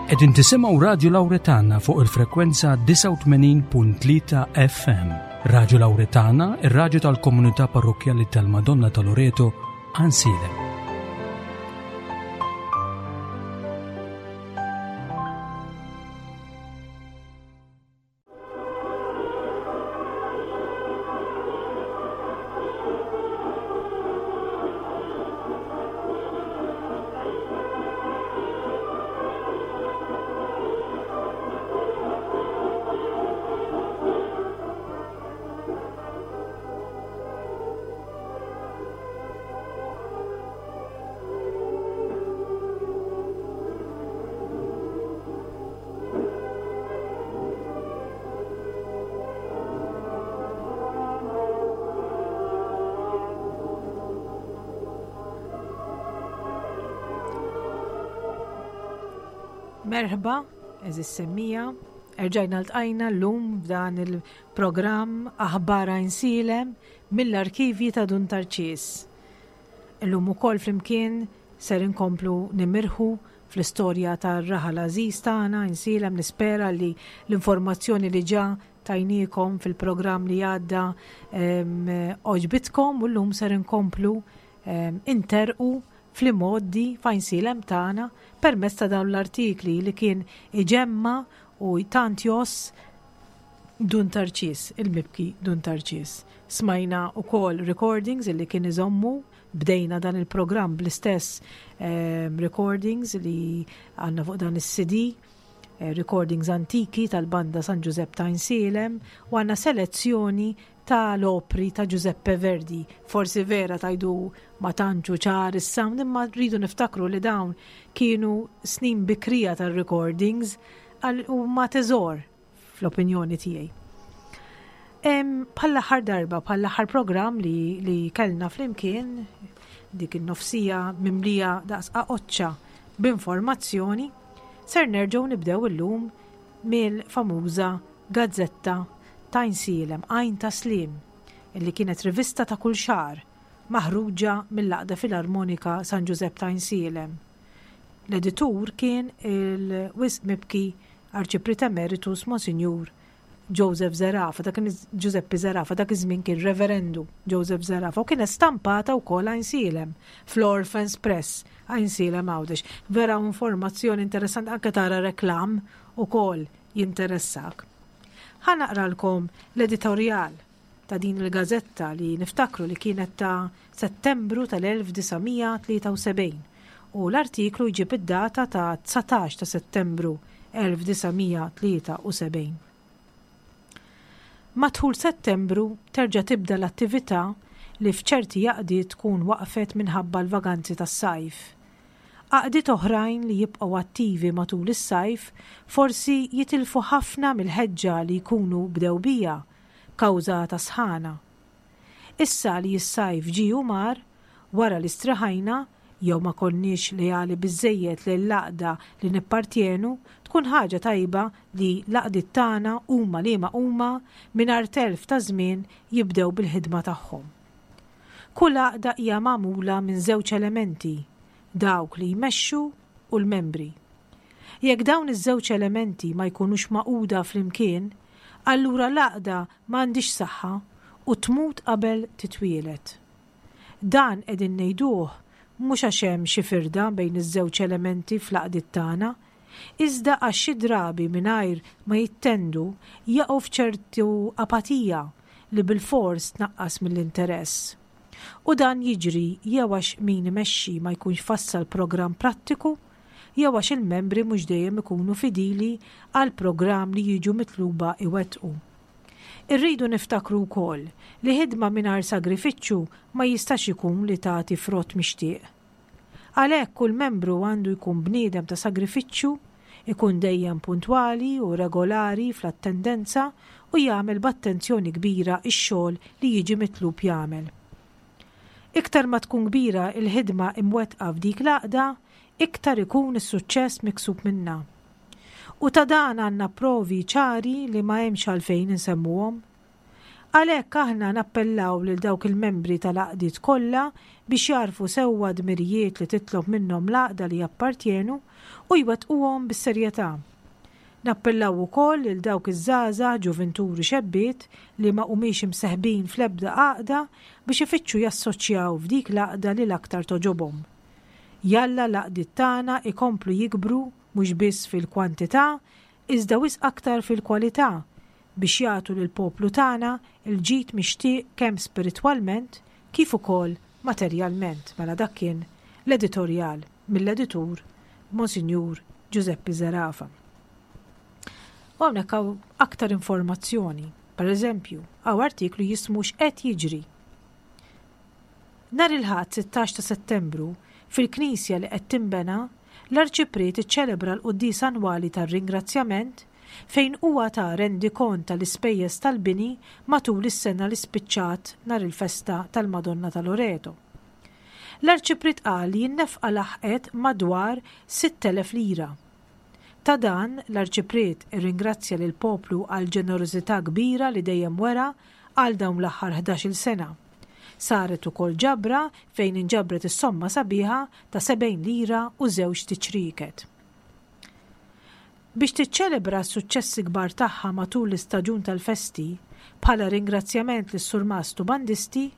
Qegħdin tisimgħu Radju Lawretana fuq il-frekwenza 89.3 FM. Radju Lawretana, ir-radju tal-komunità parrokkjali tal-Madonna ta' Loreto, Ansilem. Merħba, eżis semmija, erġajna l-tqajna l-lum f'dan il-programm Aħbar Għajnsielem mill-arkivji ta' Dun Tarċis. Illum ukoll flimkien ser inkomplu nimirħu fl-istorja tar-raħal għażiż tagħna Għajnsielem nispera li l-informazzjoni li ġa tajniekom fil-programm li għadda għoġbitkom u llum ser inkomplu interqu fl-imgħoddi f'Għajnsielem tagħna permezz ta' dawn l-artikli li kien iġemma u tant jgħożż Dun Tarċis, il-mibki Dun Tarċis. Smajna wkoll recordings li kien iżommu Bdejna dan il-programm bl-istess ehm, recordings li għandna fuq dan is-CD, eh, recordings antiki tal-banda San Giuseppe ta' Insielem u għandna selezzjoni tal-opri ta' Giuseppe Verdi. Forsi vera tajdu ma tantxu ċar is-sound imma rridu niftakru li dawn kienu snin bikrija tal-recordings u ma teżor fl-opinjoni tiegħi. Bħall-aħħar darba, bħall-aħħar programm li, li kellna flimkien, dik in-nofsija mimlija daqs qaqoċċa b'informazzjoni, ser nerġgħu nibdew illum mill-famuża gazzetta ta' Għajnsielem, Għajn ta' Sliem, illi kienet rivista ta' kull xahar maħruġa mill-Għaqda Filarmonika San Ġużepp ta' Għajnsielem. L-editur kien il-wisq mibki Arċipriet Emeritus Monsinjur Joseph Zerafa, dak Giuseppe Zerafa, dak iż-żmien kien Reverendu Joseph Zerafa, u kienet stampata wkoll Għajnsielem fl-Orphans Press Għajnsielem Għawdex. Vera informazzjoni interessanti anke tara reklam ukoll jinteressak. Ħa naqralkom l-editorjal ta' din il-gażetta li niftakru li kienet ta' Settembru tal-1973 u l-artiklu jġib id-data ta' 19 ta' Settembru 1973. Ma' dħul Settembru terġa' tibda l-attività li f'ċerti għaqdiet tkun waqfet minħabba l-vaganzi tas-sajf. Għaqdiet oħrajn li jibqgħu attivi matul is-sajf forsi jitilfu ħafna mill-ħeġġa li jkunu bdew biha kawża ta' sħana. Issa li s-sajf ġie u mar, wara li striħajna, jew ma konniex leali biżżejjed lejn l-għaqda li nippartjenu, tkun ħaġa tajba li l-għaqdiet tagħna, huma liema huma, mingħajr telf ta' żmien jibdew bil-ħidma tagħhom. Kull għaqda hija magħmula minn żewġ elementi, dawk li jmexxu u l-membri. Jekk dawn iż-żewġ elementi ma jkunux magħquda flimkien, allura l-għaqda ma għandhiex saħħa u tmut qabel titwieled. Dan qegħdin ngħiduh mhux għax hemm xi firda bejn iż-żewġ elementi fl-għaqdiet tagħna, iżda għax xi drabi mingħajr ma jittendu jaqgħu f'ċertu apatija li bilfors tnaqqas mill-interess. U dan jiġri jew għax min imexxi ma jkunx fassal programm prattiku jew għax il-membri mhux dejjem ikunu fidili għall-programm li jiġu mitluba iwettqu. Irridu niftakru wkoll li ħidma mingħajr sagrifiċċju ma jistax ikun li tagħti frott mixtieq. Għalhekk kull membru għandu jkun bniedem ta' sagrifiċċju, ikun dejjem puntwali u regolari fl-attendenza u jagħmel b'attenzjoni kbira x-xogħol li jiġi mitlub jagħmel. Iktar ma tkun kbira l-ħidma imwettqa f'dik l-għaqda, iktar ikun is-suċċess miksub minnha. U ta' dan għandna provi ċari li ma hemmx għalfejn insemmuhom. Għalhekk aħna nappellaw lil dawk il-membri tal-għaqdiet kollha biex jagħrfu sewwa d-dmirijiet li titlob minnhom l-għaqda li jappartjenu u jwettquhom bis-serjetà. Nappellaw ukoll lil dawk iż-żgħażagħ, ġuvintur u xebbiet li ma humiex imseħbin fl-ebda għaqda biex ifittxu jassoċjaw f'dik l-għaqda li l-aktar togħġobhom. Jalla l-għaqdiet tagħna ikomplu jikbru mhux biss fil-kwantità iżda wisq aktar fil-kwalità biex jagħtu lill-poplu tagħna l-ġid mixtieq kemm spiritwalment kif ukoll materjalment. Mela dak kien l-editorjal mill-editur Monsinjur Giuseppe Zerafa. U hawnhekk hawn aktar informazzjoni. Per eżempju, hawn artiklu jismu x'qed jiġri. Nhar il-Ħadd 16 ta' Settembru, fil-knisja li qed tinbena, l-Arċipriet iċċelebra l-quddiesa annwali tar-Ringrazzjament fejn huwa ta rendikont tal-ispejjeż tal-bini matul is-sena li spiċċat nhar il-festa tal-Madonna ta' Loreto. L-Arċipriet qal li n-nefqa laħqet madwar 6,000 lira. Ta' dan, l-Arċipriet irringrazzja lill-poplu għall-ġenerożità kbira li dejjem wera għal dawn l-aħħar ħdax-il sena. Saret ukoll ġabra fejn inġabret is-somma sabiħa ta' 70 lira u żewġt iċrieket. Biex tiċċelebra s-suċċessi kbar tagħha matul l-istaġun tal-festi, bħala ringrazzjament lis-surmast u bandisti,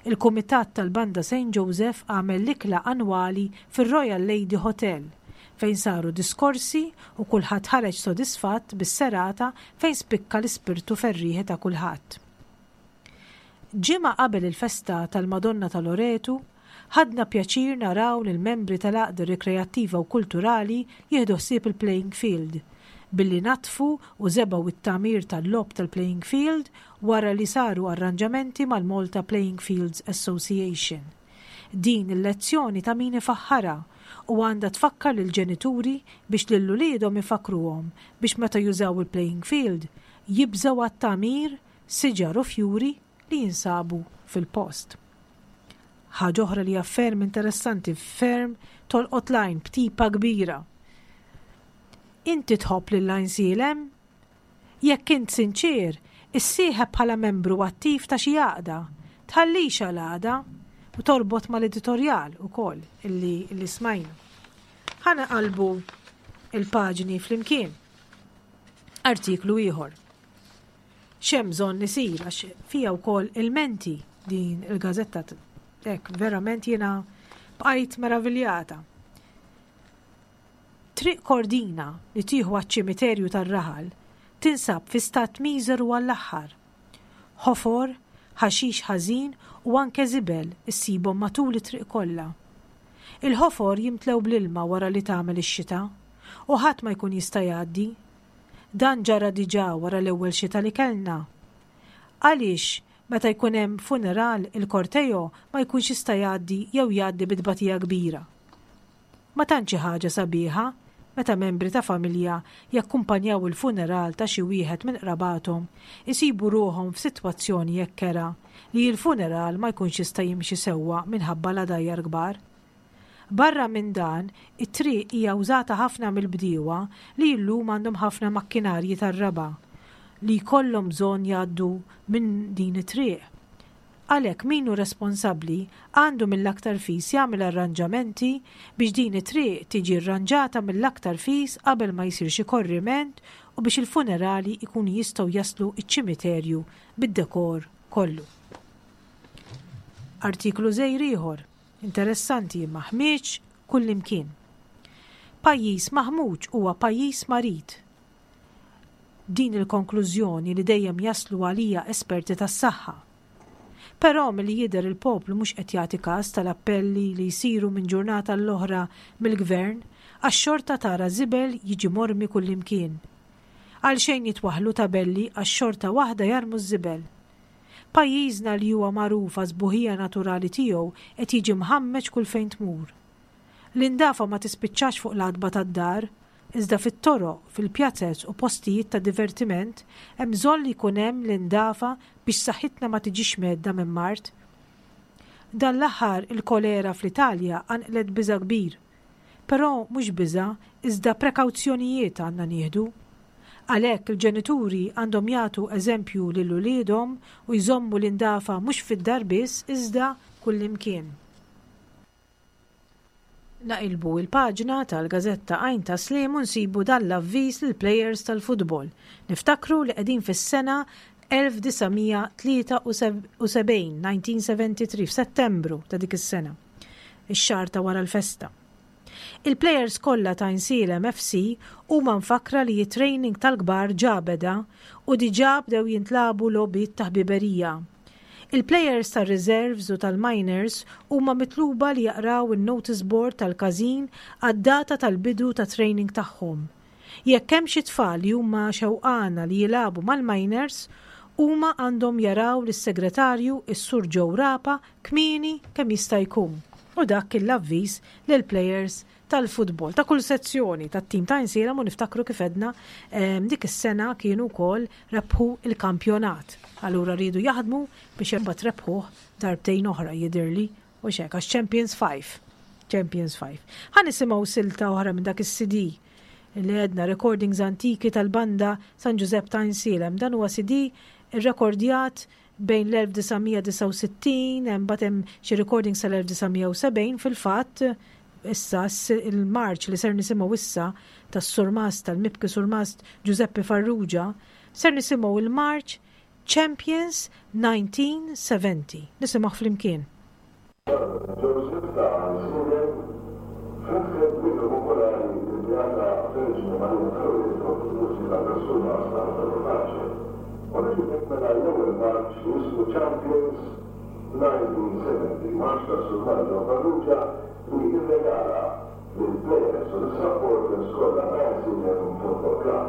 il-Kumitat tal-Banda Saint Joseph għamel l-ikla annwali fir-Royal Lady Hotel fejn saru diskorsi u kulħadd ħareġ sodisfatt bis-serata fejn spikka l-ispirtu ferrieħi ta' kulħadd. Ġimgħa qabel il-festa tal-Madonna ta' Loretu, ħadna pjaċir naraw lill-membri tal-Għaqda Rikreattiva u Kulturali jieħdu ħsieb il-playing field, billi naddfu u żebgħu t-tagħmir tal-logħob tal-playing field wara li saru arranġamenti mal-Malta Playing Fields Association. Din il-lezzjoni ta' min ifaħħarha u għandha tfakkar lill-ġenituri biex lil uliedhom ifakkruhom biex meta jużaw il-playing field jibżgħu għat-tagħmir siġar u fjuri li jinsabu fil-post. Ħaġa oħra li hija ferm interessanti, ferm tolqot l-għajn b'tipa kbira. Inti tħobb lil Għajnsielem? Jekk int sinċier, issieħeb bħala membru attiv ta' xi għaqda. Tħallix għal għada u torbot mal-editorjal ukoll illi, illi smajna. Ħa naqalbu il-paġni flimkien. Artiklu ieħor. X'hemm bżonn isir għax fiha wkoll ilmenti din il-gażetta hekk verament jiena bqajt meraviljata. Triq Kordina li tieħu għaċ-ċimiterju tar-raħal tinsab fi stat miżeru għall-aħħar. Ħofor, ħaxix ħażin u anke żibel issibhom matul it-triq kollha. Il-ħofor jimtlew bl-ilma wara li tagħmel ix-xita u ħadd ma jkun jista' jgħaddi. Dan ġara diġà wara l-ewwel xita li kellna. Għaliex meta jkun hemm funeral il-korteo ma jkunx jista' jgħaddi jew jgħaddi bi tbatija kbira? Ma tantx hi ħaġa sabiħa meta membri ta' familja jakkumpanjaw il-funeral ta' xi wieħed minn qrabathom isibu ruħhom f'sitwazzjoni hekk kerha li l-funeral ma jkunx jista' jimxi sewwa minħabba l-għadajjar kbar. Barra minn dan, it-triq hija wżata ħafna mill-bdiewa li llum għandhom ħafna makkinarji tar-raba' li jkollhom bżonn jgħaddu minn din it-triq. Għalhekk min hu responsabbli għandu mill-aktar fis jagħmel arranġamenti biex din it-triq tiġi rranġata mill-aktar fis qabel ma jsir xi korriment u biex il-funerali jkunu jistgħu jaslu ċ-ċimiterju bid-dekor kollu. Artiklu żgħir ieħor. Interessanti imma ħmieġ kullimkien. Pajjiż maħmuġ huwa pajjiż marid. Din il-konklużjoni li dejjem jaslu għaliha esperti tas-saħħa. Però milli jidher il-poplu mhux qed jagħti kas tal-appelli li jsiru minn ġurnata għall-oħra mill-Gvern għax xorta tara żibel jiġi mormi kullimkien. Għalxejn jitwaħħlu tabelli għax xorta waħda jarmu ż-żibel. Pajjiżna li huwa magħruf għas-sbuħija naturali tiegħu qed jiġi mħammeġ kull fejn tmur. L-indafa ma tispiċċax fuq l-għatba tad-dar, iżda fit-toroq, fil-pjazez u postijiet ta' divertiment hemm bżonn li jkun hemm l-indafa biex saħħitna ma tiġix mhedda minn mard. Dan l-aħħar il-kolera fl-Italja qanqlet biża' kbir. Però mhux biża' iżda prekawzjonijiet għandna nieħdu. Għalhekk il-ġenituri għandhom jagħtu eżempju lil uliedhom u jżommu l-indafa mhux fid-dar biss iżda kullimkien. Naqilbu il-paġna tal-gażetta Għajn ta' Sliem u nsibu dan l-avviż lill-plejers tal-futbol. Niftakru li qegħdin fis-sena 1973, 1973, f'Settembru ta' dik is-sena, ix-xahar ta' wara l-festa. Il-plejers kollha ta' Għajnsielem FC huma mfakkra li t-training tal-kbar ġa beda u diġà bdew jintlagħbu logħbiet ta' ħbiberija. Il-plejers tar-reserves u tal-minors huma mitluba li jaqraw in-notice board tal-każin għad-data tal-bidu tat-training tagħhom. Jekk hemm xi tfal li huma xewqana li jilagħbu mal-minors, huma għandhom jaraw lis-segretarju s-Sur Joe Rapa kmieni kemm jista' jkun. U dak kien l-avviż lill-plejers tal-futbol ta' kull sezzjoni tat-tim ta' Għajnsielem u niftakru kif għedna dik is-sena kienu wkoll rebħu l-kampjonat. Allura riedu jaħdmu biex imbagħad rebħuh darbtejn oħra jidhirli u x'hekk għax Champions 5. Champions 5. Ħa nisimgħu silta oħra minn dak is-CD li għedna recordings antiki tal-banda San Ġużepp ta' Għajnsielem. Dan huwa CD irrekordjat bejn l-1969, imbagħad hemm xi recordings tal-1970 fil-fatt issa il-marċ li ser nisimgħu issa tas-Surmast tal-Mibki Surmast Giuseppe Farrugia, ser nisimgħu il-marċ Champions 1970. Nisimgħuh flimkien. Joseph ta' Għajnsielem, fetħet b'innu popolari lill-Beata Verġni Marija ta' Loreto bil-mużika tas-Surmast Antonio Pace. U niġu b'hekk mela għall-ewwel marċ li jismu Champions 1970, marċ tas-Surmast Joe Farrugia li rregala lill-plejers u lis-supporters kollha ta' Għajnsielem Football Club.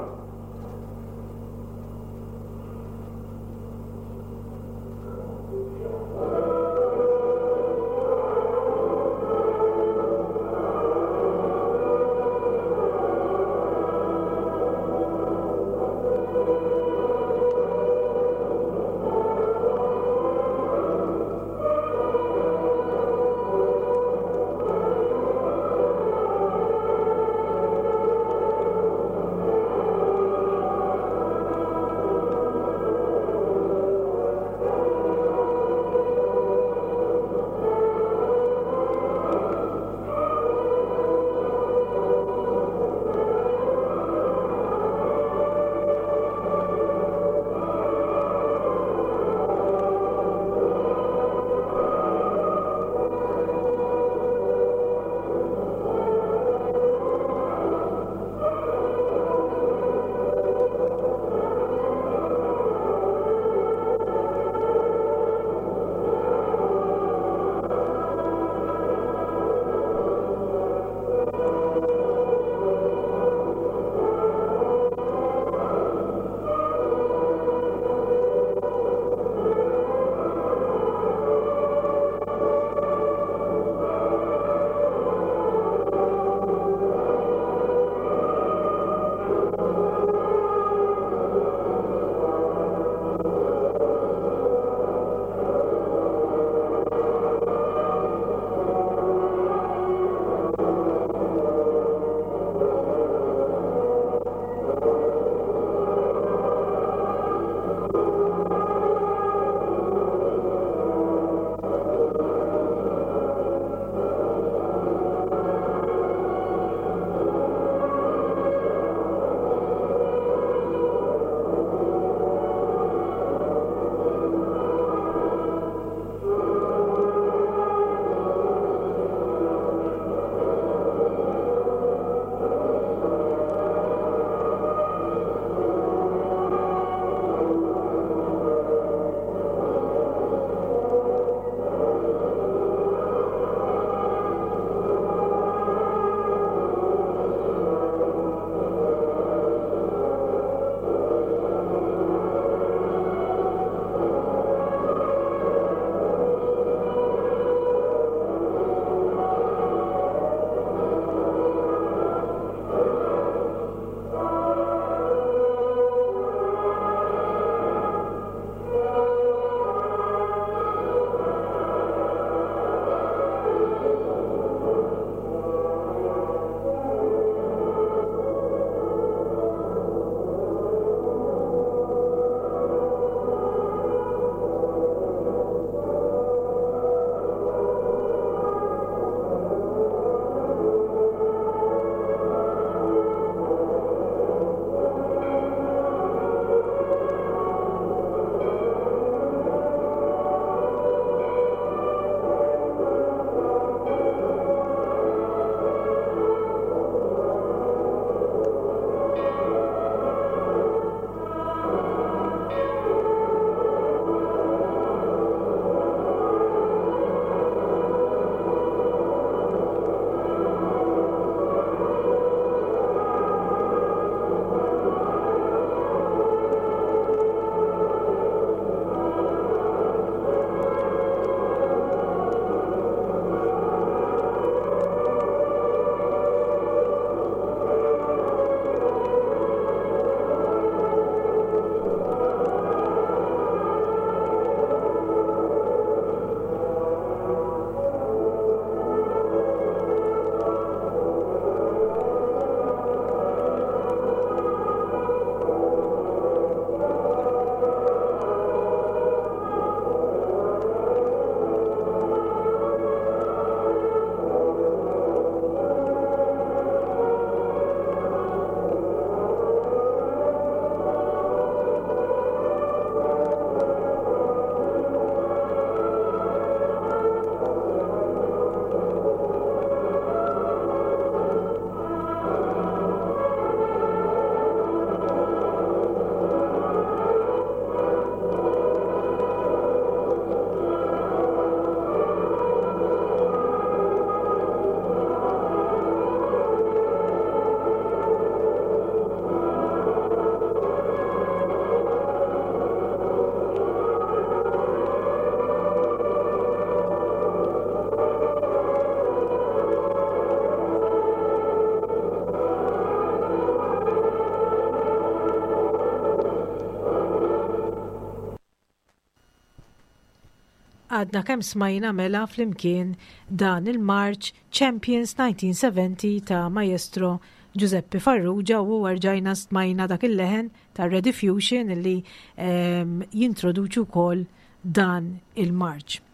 Għadna kemm smajna mela flimkien dan il-marċ Champions 1970 ta' Maestro Giuseppe Farrugia u rġajna smajna dak il-leħen ta' Rediffusion illi ehm, jintroduċu wkoll dan il-marċ.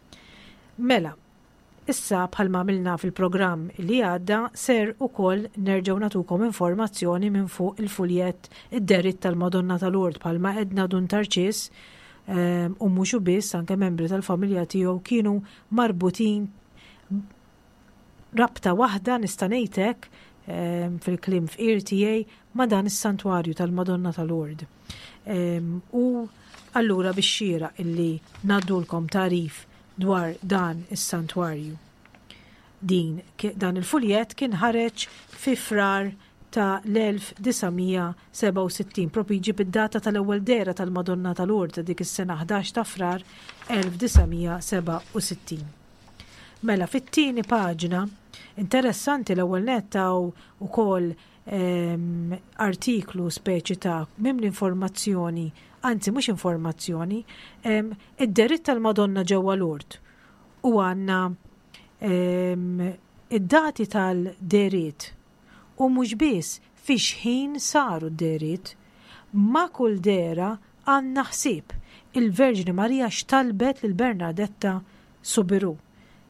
Mela, Issa bħalma għamilna fil-programm li għadda ser ukoll nerġgħu nagħtukom informazzjoni minn fuq il-fuljett id-deritt tal-Madonna ta' Lourdes bħalma għedna Dun Tarċis ehm, u mhux biss anke membri tal-familja tiegħu kienu marbutin rabta waħda nista' ngħid hekk ehm, fil-kliem fqir tiegħi ma' dan is-santwarju tal-Madonna ta' Lourdes. Ehm, u allura biex xieraq illi ngħaddulkom tagħrif dwar dan is-santwarju. Din dan il-fuljett kien ħareġ fi Frar ta' l-1967, propju jġib id-data tal-ewwel dehra tal-Madonna ta' Lourdes ta' dik is-sena 11 ta' Frar 1967. Mela fit-tieni paġna, interessanti l-ewwel nett hawn ukoll ehm, artiklu speċi ta' mimli informazzjoni, anzi mhux informazzjoni, ehm, id-deritt tal-Madonna ġewwa Lourdes u għandna ehm, id-dati tal-deriet u mhux biss fi xħin saru d-deriet. Ma' kull dera għandna ħsieb il-Verġni Marija x'talbet lil Bernardetta Soubirous.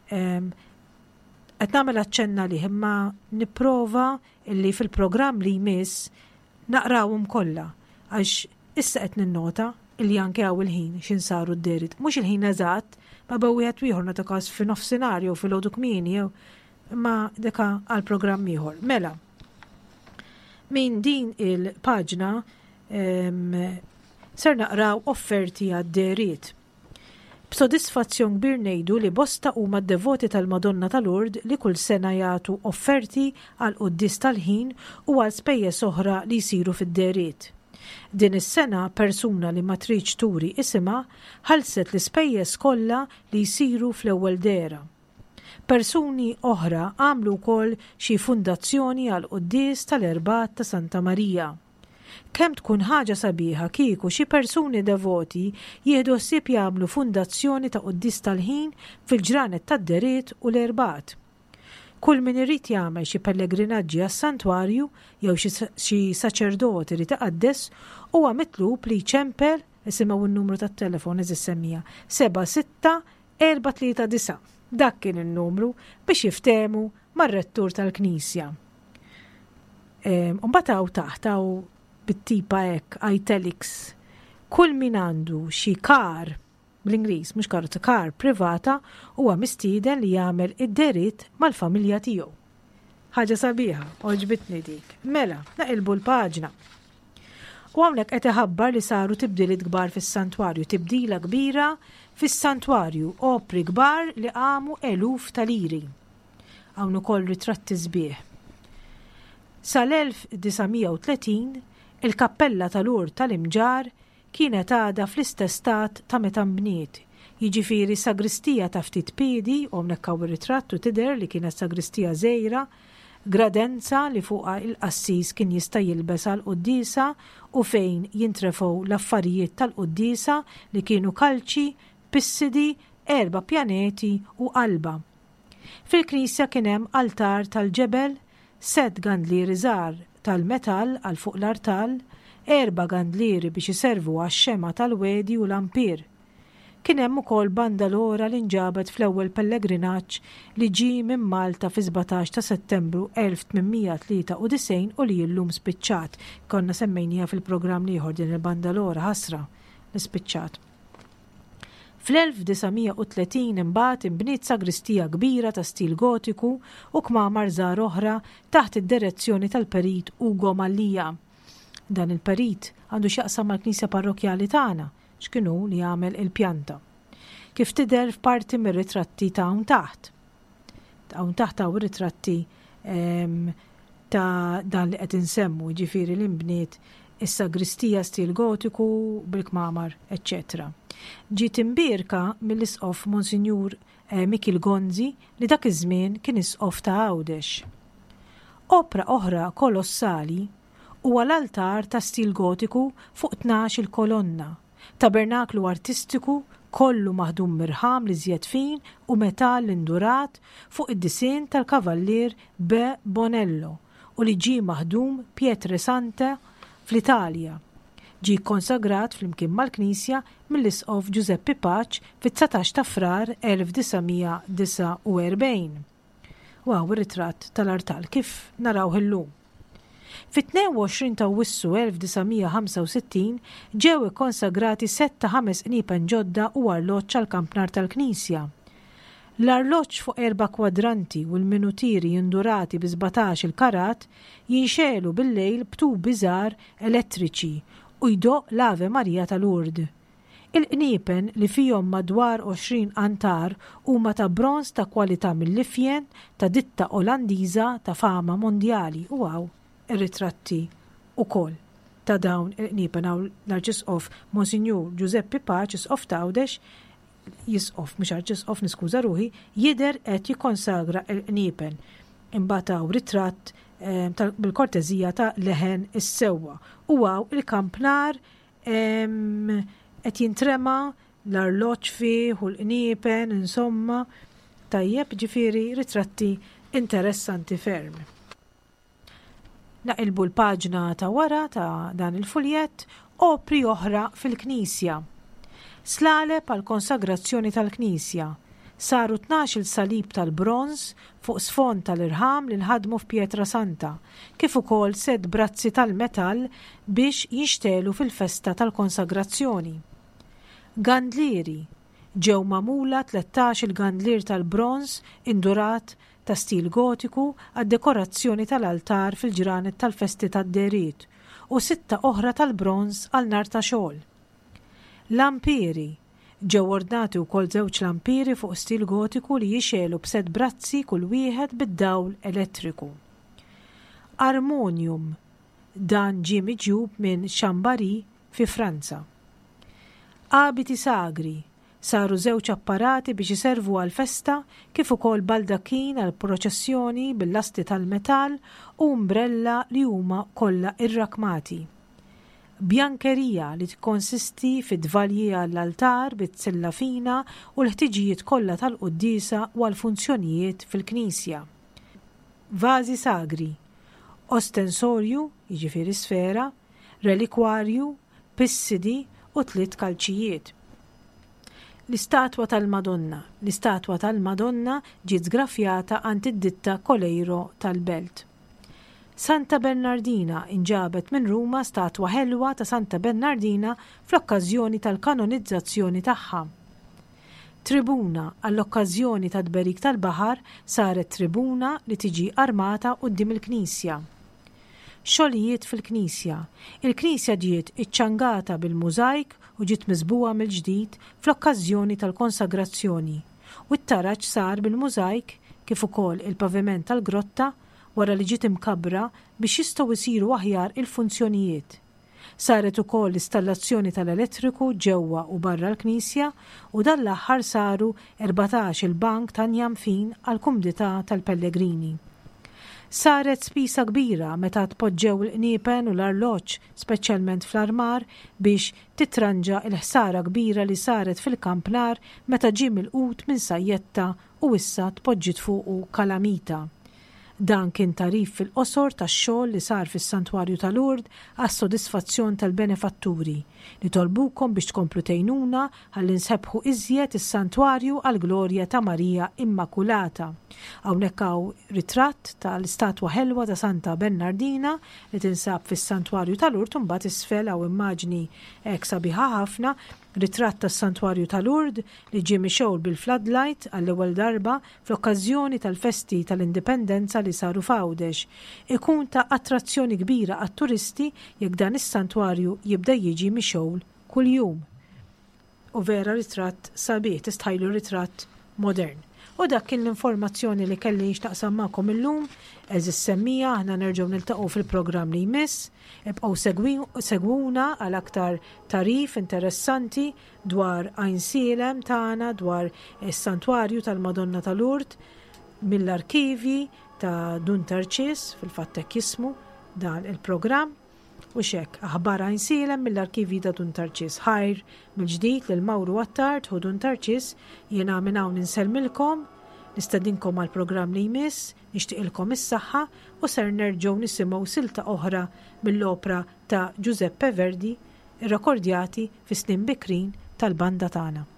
Qed nagħmel aċċenn għalih imma nipprova illi fil-programm li jmiss naqrawhom kollha għax issa qed ninnota illi anke hawn il-ħin x'in saru d-dehriet. Mhux il-ħin eżatt, ma bew wieħed u ieħor nagħtu każ fi nofsinhar jew filgħodu kmieni jew imma deka għal programm ieħor. Mela, minn din il-paġna ser naqraw offerti għad-dehriet. B'sodisfazzjon kbir ngħidu li bosta huma d-devoti tal-Madonna ta' Lourdes li kull sena jagħtu offerti għall-quddies tal-ħin u għal spejjeż oħra li jsiru fid-dehriet. Din is-sena persuna li ma tridx turi isimha ħallset l-ispejjeż kollha li jsiru fl-ewwel dehra. Persuni oħra għamlu wkoll xi fundazzjoni għall-quddies tal-Erbgħat ta' Santa Marija. Kemm tkun ħaġa sabiħa kieku xi persuni devoti jieħdu ħsieb jagħmlu fundazzjoni ta' quddies tal-ħin fil-ġranet tad-Deriet u l-Erbgħat. Kull min irid jagħmel xi pellegrinaġġi għas-santwarju jew xi saċerdot irid iqaddes huwa mitlub li jċempel, isimgħu n-numru tat-telefon għeżież semmiegħa, 76439. Dak kien in-numru biex jiftehmu mar-rettur tal-knisja. Mbagħad hawn taħt hawn bit-tipa hekk italics kull min għandu xi kar bl-Ingliż mhux karozza kar privata huwa mistieden li jagħmel id-deritt mal-familja tiegħu. Ħaġa sabiħa, għoġbitni dik. Mela, naqilbu l-paġna. U hawnhekk qed iħabbar li saru tibdiliet kbar fis-santwarju, tibdila kbira fis-santwarju, opri kbar li qamu eluf ta' liri. Hawn ukoll ritratti sbieħ. Sal-1930, il-kappella ta' Lourdes tal-Imġarr kienet għadha fl-istess stat ta' meta nbniet, jiġifieri sagristija ta' ftit piedi, u hawnhekk hawn ir-ritratt u tidher li kienet sagristija żgħira, gradenza li fuqha il-qassis kien jista' jilbes għall-quddiesa u fejn jintrefgħu l-affarijiet tal-quddiesa li kienu kalċi, pissidi, erba' pjaneti u qalba. Fil-knisja kien hemm altar tal-ġebel, sett gandlieri żgħar tal-metall għal fuq l-artal, erba' gandlieri biex iservu għax-xemgħa tal-wegħdi u lampier. Kien hemm ukoll bandalora li nġabet fl-ewwel pellegrinaġġ li ġie minn Malta fis-17 ta' Settembru 1893 u li llum spiċċat. Konna semmejniha fil-programm l-ieħor din il-bandalora, ħasra li spiċċat. Fl-1930 imbagħad inbniet sagristija kbira ta' stil Gotiku u kmamar żgħar oħra taħt id-direzzjoni tal-Perit Ugo Mallia. Dan il-perit għandu x'jaqsam mal-knisja parrokkjali tagħna, x'kien hu li għamel il-pjanta. Kif tidher f'parti mir-ritratti ta' hawn taħt. Hawn taħt hawn ritratti ehm, ta' dan li qed insemmu, jiġifieri li nbniet is-sagristija stil Gotiku bil-kmamar, eċċetera. Ġiet imbierka mill-Isqof Monsinjur eh, Mikiel Gonzi li dak iż-żmien kien Isqof ta' Għawdex. Opra oħra kolossali huwa l-altar ta' stil Gotiku fuq 12 il-kolonna, tabernaklu artistiku. Kollu maħdum mirħam l-iżjed fin u metall indurat fuq id-disinn tal-Kavallier B. Bonello u li ġie maħdum Pietre Santa fl-Italja. Ġie kkonsagrat flimkien mal-knisja mill-Isqof Ġużeppi Pace fit-19 ta' Frar 1949. U hawn ir-ritratt tal-artal kif narawh illum. Fit-22 ta' Awwissu 1965 ġew ikkonsagrati sett ta' ħames qniepen ġodda u arloġġ għall-kampnar tal-knisja. L-arloġġ fuq erba' kwadranti u l-minutieri indurati bi sbatax-il karat jinxegħlu bil-lejl b'tubi żgħar elettriċi u jdoqq l-Ave Maria ta' Lourdes. Il-qniepen, li fihom madwar 20 qantar, huma ta' bronż ta' kwalità mill-ifjen ta' ditta Olandiża ta' fama mondjali u hawn ir-ritratti ukoll ta' dawn il-qniepen. Hawn l-Arċisqof Monsinjur Ġużeppi Pace, Isqof t'Għawdex, Isqof mhux Arċisqof niskuża ruħi, jidher qed jikkonsagra l-qniepen. Imbagħad hawn ritratt bil-korteżija ta' Leħen is-Sewwa u hawn il-kampnar Qed jintrema l-arloġġ fih u l-qniepen, insomma. Tajjeb, ġifieri ritratti interessanti ferm. Naqilbu l-paġna ta' wara ta' dan il-fuljett, opri oħra fil-Knisja. Slaleb għall-konsagrazzjoni tal-Knisja. Saru tnax-il salib tal-bronż fuq sfond tal-irħam li nħadmu f'Pietra Santa, kif ukoll sett brazzi tal-metall biex jinxtegħlu fil-festa tal-konsagrazzjoni. Gandlieri, Ġew magħmula tlettax-il gandlier tal-bronż indurat ta' stil Gotiku għad-dekorazzjoni tal-altar fil-ġranet tal-festi tad-dehriet u sitta oħra tal-bronż għal nhar ta' xogħol. Lampieri, Ġew ordnati wkoll żewġ lampieri fuq stil Gotiku li jixegħlu b'sett brazzi kull wieħed bid-dawl elettriku. Armonium, Dan ġie miġjub minn Chambary fi Franza. Abiti sagri, Saru żewġ apparati biex iservu għall-festa kif ukoll baldakkin għall-proċessjoni bil-lasti tal-metall u umbrella li huma kollha rrakmati. Bjankerija li tikkonsisti fi tvalji għall-altar bi tsilla fina u l-ħtiġijiet kollha tal-quddiesa u għall-funzjonijiet fil-knisja. Vażi sagri, ostensorju, jiġifieri sfera, relikwarju, pissidi u tliet kalċijiet. L-istatwa tal-Madonna L-istatwa tal-Madonna ġiet żgrafjata għand id-ditta Coleiro tal-Belt. Santa Bernardina Inġabet minn Ruma statwa ħelwa ta' Santa Bernardina fl-okkażjoni tal-kanonizzazzjoni tagħha. Tribuna Għall-okkażjoni tat-tberik tal-baħar saret tribuna li tiġi armata quddiem il-knisja. Xogħlijiet fil-knisja Il-knisja ġiet iċċangata bil-mużajk u ġiet miżbugħa mill-ġdid fl-okkażjoni tal-konsagrazzjoni u t-taraġ sar bil-mużajk kif ukoll il-paviment tal-grotta wara li ġiet imkabbra biex jistgħu jsiru aħjar il-funzjonijiet. Saret ukoll l-istallazzjoni tal-elettriku ġewwa u barra l-knisja u dan l-aħħar saru 14-il bank ta' njam fin għall-kumdità tal-pellegrini. Saret spiża kbira meta tpoġġew il-qniepen u l-arloġġ, speċjalment fl-armar, biex titranġa l-ħsara kbira li saret fil-kampnar meta ġie milqut minn sajjetta u issa tpoġġiet fuqu kalamita. Dan kien tagħrif fil-qosor tax-xogħol li sar fis-Santwarju ta' Lourdes għas-sodisfazzjon tal-benefatturi. Nitolbukom biex tkomplu tgħinuna ħalli nsebbħu iżjed is-Santwarju għall-glorja ta' Marija Immakulata. Hawnhekk hawn ritratt tal-istatwa ħelwa ta' Santa Bernardina li tinsab fis-Santwarju ta' Lourdes u mbagħad isfel hawn immaġni hekk sabiħa ħafna, ritratt tas-Santwarju ta' Lourdes li ġie mixgħul bil-floodlight għall-ewwel darba fl-okkażjoni tal-festi tal-Indipendenza li saru f'Għawdex. Ikun ta' attrazzjoni kbira għat-turisti jekk dan is-santwarju jibda jiġi mixgħul kuljum. U vera ritratt sabiħ, tistħajlu ritratt modern. U dak kien l-informazzjoni li kelli x'naqsam magħkom illum, għeżież semmiegħa, aħna nerġgħu niltaqgħu fil-programm li jmiss. Ibqgħu segwuna għal aktar tagħrif interessanti dwar Għajnsielem tagħna, dwar is-Santwarju tal-Madonna ta' Lourdes, mill-arkivji ta' Dun Tarċis, fil-fatt hekk jismu dan il-programm. Hux hekk, aħbar Għajnsielem mill-arkivji ta' Dun Tarċis. Ħajr mill-ġdid lil Mawru Attard, ħu Dun Tarċis, jiena minn hawn insellmilkom, nistedinkom għall-programm li jmiss, nixtieqilkom is-saħħa u ser nerġgħu nisimgħu silta oħra mill-opra ta' Giuseppe Verdi, irrekordjati fis-snin bikrin tal-banda tagħna.